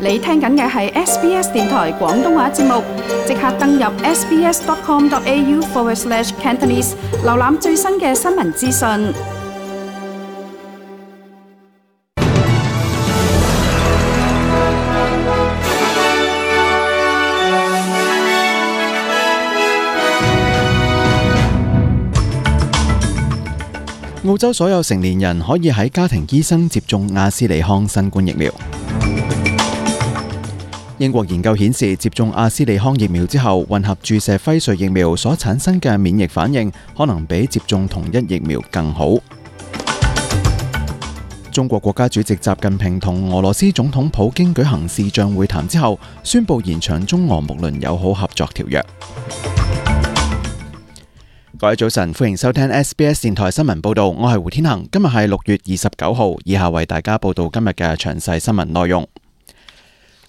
你聽緊嘅係 SBS 電台廣東話節目，即刻登入 sbs.com.au/Cantonese 瀏覽最新嘅新聞資訊。澳洲所有成年人可以喺家庭醫生接種阿斯利康新冠疫苗。英國研究顯示，接種阿斯利康疫苗之後，混合注射輝瑞疫苗所產生嘅免疫反應，可能比接種同一疫苗更好。中國國家主席習近平同俄羅斯總統普京舉行視像會談之後，宣布延長中俄睦鄰友好合作條約。各位早晨，歡迎收聽 SBS 電台新聞報道，我係胡天恒。今日係6月29號，以下為大家報道今日嘅詳細新聞內容。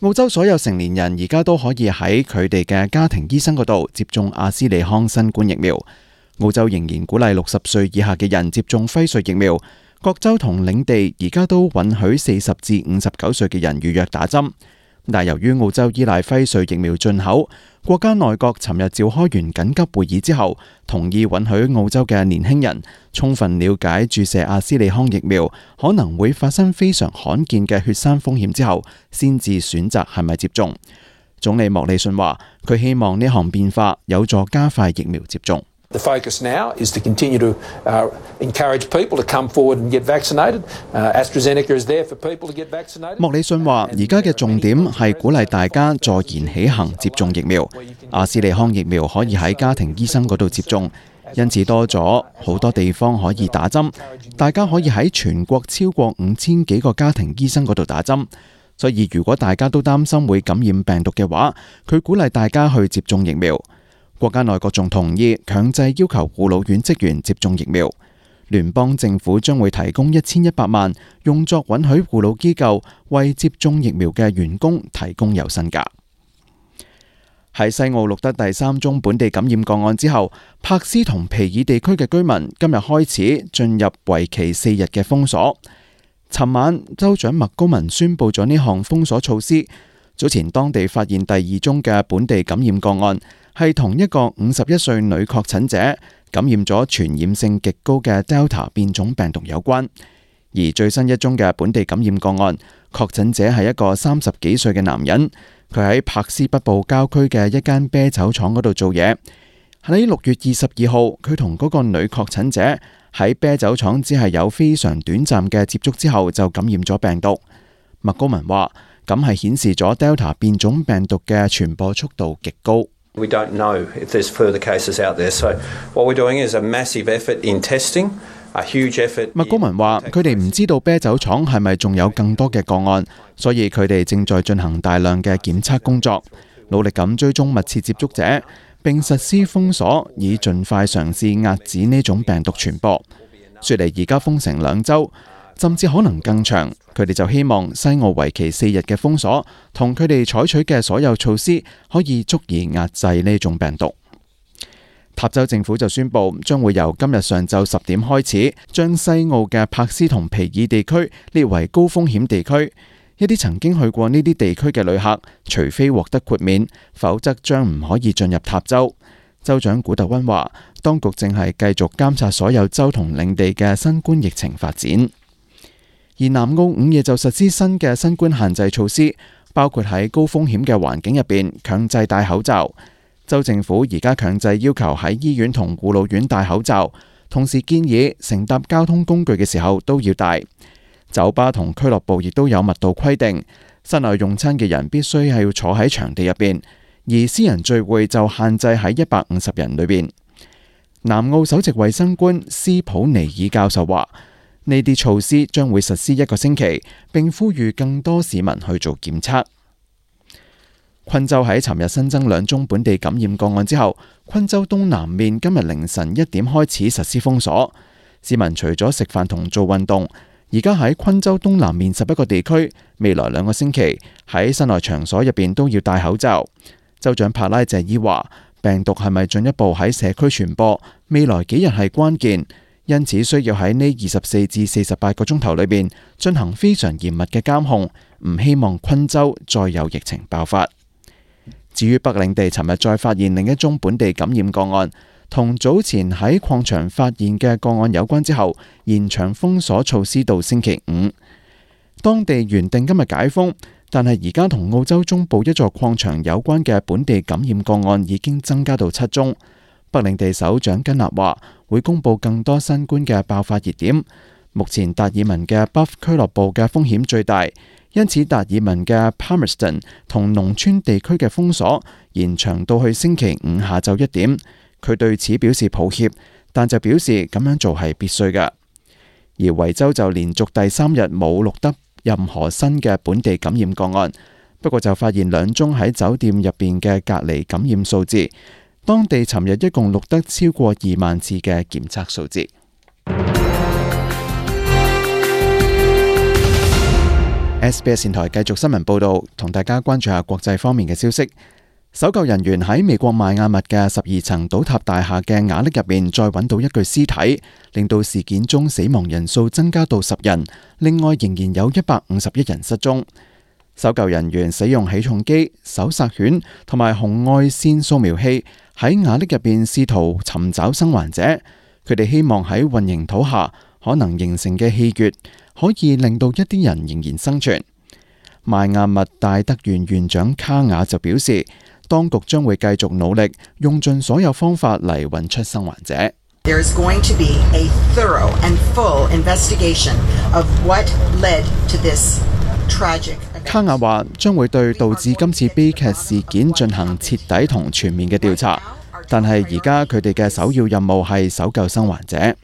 澳洲所有成年人而家都可以喺佢哋嘅家庭醫生嗰度接種阿斯利康新冠疫苗。澳洲仍然鼓勵60歲以下嘅人接種輝瑞疫苗。各州同領地而家都允許40至59歲嘅人預約打針。但由於澳洲依賴輝瑞疫苗進口，國家內閣尋日召開完緊急會議之後，同意允許澳洲嘅年輕人充分了解注射阿斯利康疫苗可能會發生非常罕見嘅血栓風險之後，先至選擇係咪接種。總理莫里遜話，佢希望呢項變化有助加快疫苗接種。The focus now is to continue to encourage people to come forward and get vaccinated. AstraZeneca is there for people to get vaccinated. 莫里遜話：而家嘅重點係鼓勵大家坐言起行接種疫苗。阿斯利康疫苗可以喺家庭醫生嗰度接種，因此多咗好多地方可以打針。大家可以喺全國超過5000幾個家庭醫生嗰度打針。所以如果大家都擔心會感染病毒嘅話，佢鼓勵大家去接種疫苗。國家內閣仲同意強制要求護老院職員接種疫苗。聯邦政府將會提供1100萬，用作允許護老機構為接種疫苗嘅員工提供有薪假。喺西澳錄得第3宗本地感染個案之後，柏斯同皮爾地區嘅居民今日開始進入為期4日嘅封鎖。尋晚，州長麥高文宣布咗呢項封鎖措施。早前當地發現第2宗嘅本地感染個案，係同一個51歲女確診者感染咗傳染性極高嘅 Delta 變種病毒有關。而最新一宗嘅本地感染個案，確診者係一個30幾歲嘅男人，佢喺柏斯北部郊區嘅一間啤酒廠嗰度做嘢。喺6月22號，佢同嗰個女確診者喺啤酒廠只係有非常短暫嘅接觸之後就感染咗病毒。麥高文話，咁係顯示咗 Delta 變種病毒嘅傳播速度極高。We don't know if there's further cases out there. So what we're doing is a massive effort in testing, a huge effort. 麥高文話，佢哋唔知道啤酒廠係咪仲有更多嘅個案，所以佢哋正在進行大量嘅檢測工作，努力咁追蹤密切接觸者，並實施封鎖，以盡快嘗試遏止呢種病毒傳播。雪梨而家封城2週。甚至可能更長，佢哋就希望西澳為期4日嘅封鎖同佢哋採取嘅所有措施可以足以壓制呢種病毒。塔州政府就宣布將會由今日上晝10點開始，將西澳嘅柏斯同皮爾地區列為高風險地區。一啲曾經去過呢啲地區嘅旅客，除非獲得豁免，否則將唔可以進入塔州。州長古特溫話，當局正係繼續監察所有州同領地嘅新冠疫情發展。而南澳午夜就實施新嘅新冠限制措施，包括喺高風險嘅環境入邊強制戴口罩。州政府而家強制要求喺醫院同護老院戴口罩，同時建議乘搭交通工具嘅時候都要戴。酒吧同俱樂部亦都有密度規定，室內用餐嘅人必須係要坐喺場地入邊，而私人聚會就限制喺150人裏邊。南澳首席衛生官斯普尼爾教授話，呢啲措施將會實施1個星期，並呼籲更多市民去做檢測。昆州喺尋日新增2宗本地感染個案之後，昆州東南面今日凌晨1點開始實施封鎖。市民除咗食飯同做運動，而家喺昆州東南面11個地區，未來2個星期喺室內場所入邊都要戴口罩。州長帕拉謝伊話，病毒係咪進一步喺社區傳播，未來幾日係關鍵。因此需要喺呢24至48個鐘頭裏邊進行非常嚴密嘅監控，唔希望昆州再有疫情爆發。至於北領地尋日再發現另一宗本地感染個案，同早前喺礦場發現嘅個案有關之後，延長封鎖措施到星期五。當地原定今日解封，但係而家同澳洲中部一座礦場有關嘅本地感染個案已經增加到7宗。北領地首長根納話會公布更多新冠嘅爆發熱點。目前達爾文嘅 Buff 俱樂部嘅風險最大，因此達爾文嘅 Palmerston 同農村地區嘅封鎖延長到去星期五下晝1點。佢對此表示抱歉，但就表示咁樣做係必須嘅。而維州就連續第3日冇錄得任何新嘅本地感染個案，不過就發現2宗喺酒店入邊嘅隔離感染數字。當地尋日一共錄得超過2萬次嘅檢測數字。SBS 電台繼續新聞報導，同大家關注下國際方面嘅消息。搜救人員喺美國邁阿密嘅12層倒塌大廈嘅瓦礫入面再揾到一具屍體，令到事件中死亡人數增加到10人，另外仍然有151人失蹤。搜救人員使用起重機、搜索犬同埋紅外線掃描器喺瓦礫入邊試圖尋找生還者。佢哋希望喺混凝土下可能形成嘅氣穴可以令到一啲人仍然生存。邁阿密戴德縣縣長卡雅就表示，當局將會繼續努力，用盡所有方法嚟揾出生還者。There is going to be a thorough and full investigation of what led to this tragic event. 卡雅話將會對導致今次悲劇事件進行徹底同全面嘅調查，但係而家佢哋嘅首要任務係搜救生還者。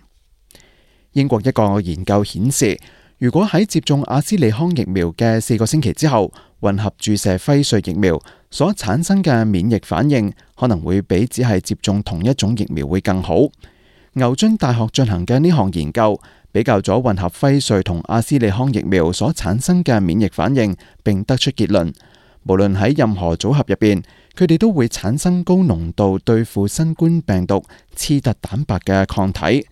英國一個研究顯示，如果喺接種阿斯利康疫苗嘅4個星期之後，混合注射輝瑞疫苗所產生嘅免疫反應可能會比只係接種同一種疫苗會更好。牛津大學進行嘅呢項研究比較咗混合輝瑞同阿斯利康疫苗所產生嘅免疫反應，並得出結論，無論喺任何組合入邊，佢哋都會產生高濃度對付新冠病毒刺突蛋白嘅抗體。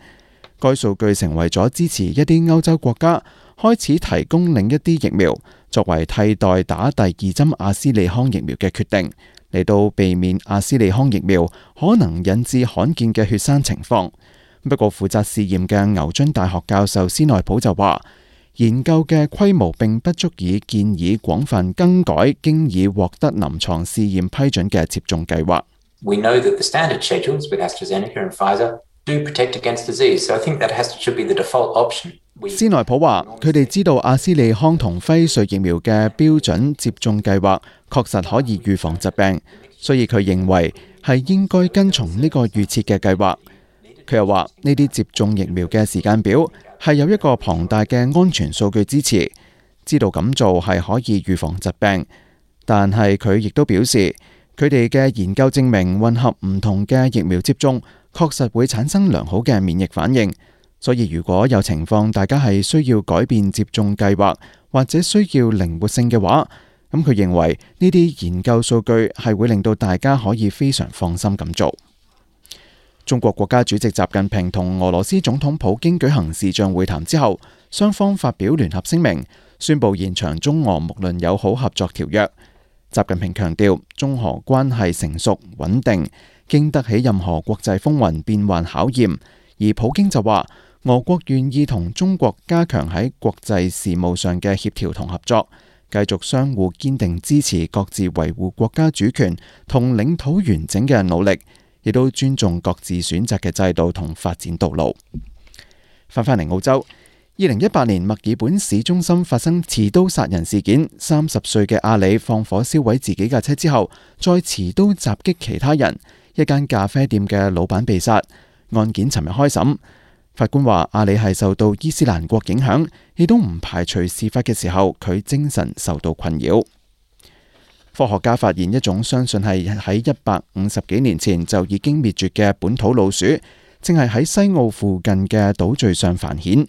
該數據成為咗支持一啲歐洲國家開始提供另一啲疫苗作為替代打第2針阿斯利康疫苗嘅決定，嚟到避免阿斯利康疫苗可能引致罕見嘅血栓情況。不過負責試驗嘅牛津大學教授斯內普就話，研究嘅規模並不足以建議廣泛更改經已獲得臨床試驗批准嘅接種計劃。We know that the standard schedules with AstraZeneca and Pfizer do protect against disease, so I think that should be the default option. 斯內普話，佢哋知道阿斯利康同輝瑞疫苗嘅標準接種計劃確實可以預防疾病，所以佢認為係應該跟從呢個預設嘅計劃。佢又話，呢啲接種疫苗嘅時間表係有一個龐大嘅安全數據支持，知道咁做係可以預防疾病。但係佢亦都表示，佢哋嘅研究證明混合唔同嘅疫苗接種確實會產生良好嘅免疫反應。所以如果有情況大家係需要改變接種計劃或者需要靈活性嘅話，咁佢認為呢啲研究數據係會令到大家可以非常放心咁做。中國國家主席習近平同俄羅斯總統普京舉行視像會談之後，雙方發表聯合聲明，宣布延長中俄睦鄰友好合作條約。習近平強調，中俄關係成熟穩定，經得起任何國際風雲變幻考驗。而普京就話，俄國願意同中國加強喺國際事務上嘅協調同合作，繼續相互堅定支持各自維護國家主權同領土完整嘅努力，亦都尊重各自選擇嘅制度同發展道路。翻返嚟澳洲，2018年墨爾本市中心發生持刀殺人事件，30歲嘅阿里放火燒毀自己架車之後，再持刀襲擊其他人，一間咖啡店嘅老闆被殺。案件尋日開審。法官話，阿里係受到伊斯蘭國影響，亦都唔排除事發嘅時候佢精神受到困擾。科學家發現一種相信係喺150幾年前就已經滅絕嘅本土老鼠，正係喺西澳附近嘅島嶼上繁衍。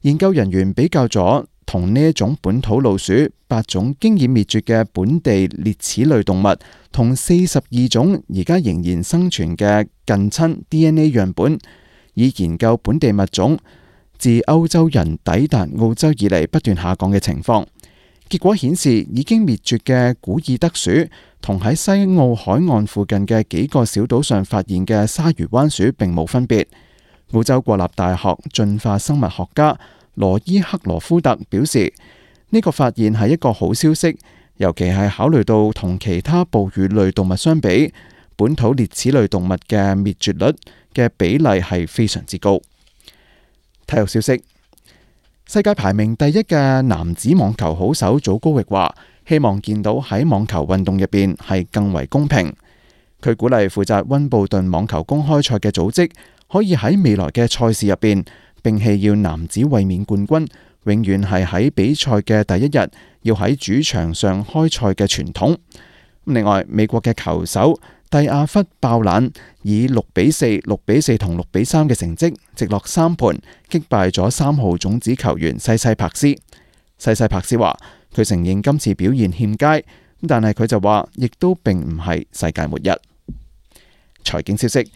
研究人員比較咗同呢一種本土老鼠8種經已滅絕嘅本地齧齒類動物，同42種而家仍然生存嘅近親 DNA 樣本。以研究本地物種自歐洲人抵達澳洲以嚟不斷下降嘅情況。結果顯示，已經滅絕嘅古爾德鼠同喺西澳海岸附近嘅幾個小島上發現嘅鯊魚灣鼠並冇分別。澳洲國立大學進化生物學家羅伊克羅夫特表示，呢個發現係一個好消息，尤其係考慮到同其他哺乳類動物相比，本土齧齒類動物嘅滅絕率嘅比例係非常之高。體育消息，世界排名第一嘅男子網球好手祖高域話，希望見到喺網球運動入邊係更為公平。佢鼓勵負責溫布頓網球公開賽嘅組織，可以喺未來嘅賽事入邊摒棄要男子衛冕冠軍永遠係喺比賽嘅第一日要喺主場上開賽嘅傳統。另外，美國嘅球手蒂亞弗爆冷，以6-4、6-4同6-3嘅成績直落3盤擊敗咗3號種子球員西西柏斯。西西柏斯話佢承認今次表現欠佳，但係佢就話亦都並唔係世界末日。財經消息，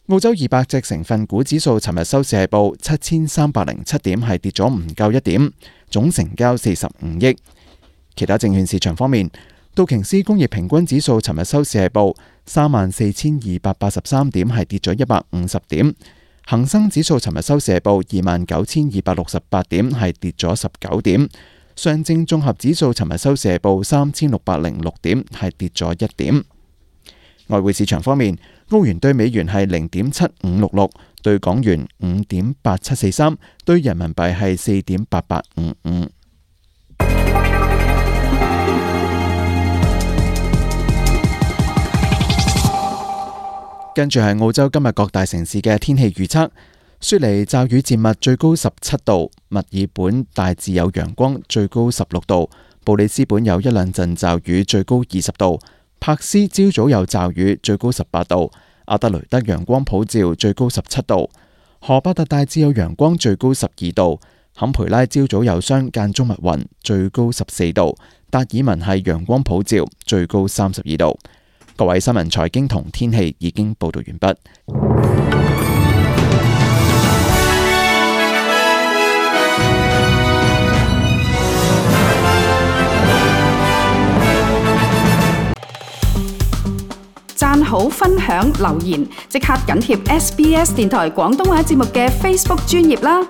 澳洲200隻成分股指數尋日收市係報7307點，係跌咗唔夠1點，總成交45億。其他證券市場方面，道瓊斯工業平均指數尋日收市係報34,283點，係跌咗150點。恒生指數尋日收市係報29,268點，係跌咗19點。上證綜合指數尋日收市係報3,606點，係跌咗1點。外匯市場方面，澳元對美元係0.7566，對港元5.8743，對人民幣係4.8855。跟住係澳洲今日各大城市嘅天氣預測：雪梨驟雨漸密，最高17度；墨爾本大致有陽光，最高16度；布里斯本有一兩陣驟雨，最高20度；柏斯朝早有驟雨，最高18度；阿德雷德陽光普照，最高17度；荷巴特大致有陽光，最高12度；坎培拉朝早有霜間中密雲，最高14度；達爾文係陽光普照，最高32度。各位，新聞財經同天氣已經報道完畢。讚好、分享、留言，即刻緊貼SBS 電台廣東話節目嘅 Facebook 專頁啦！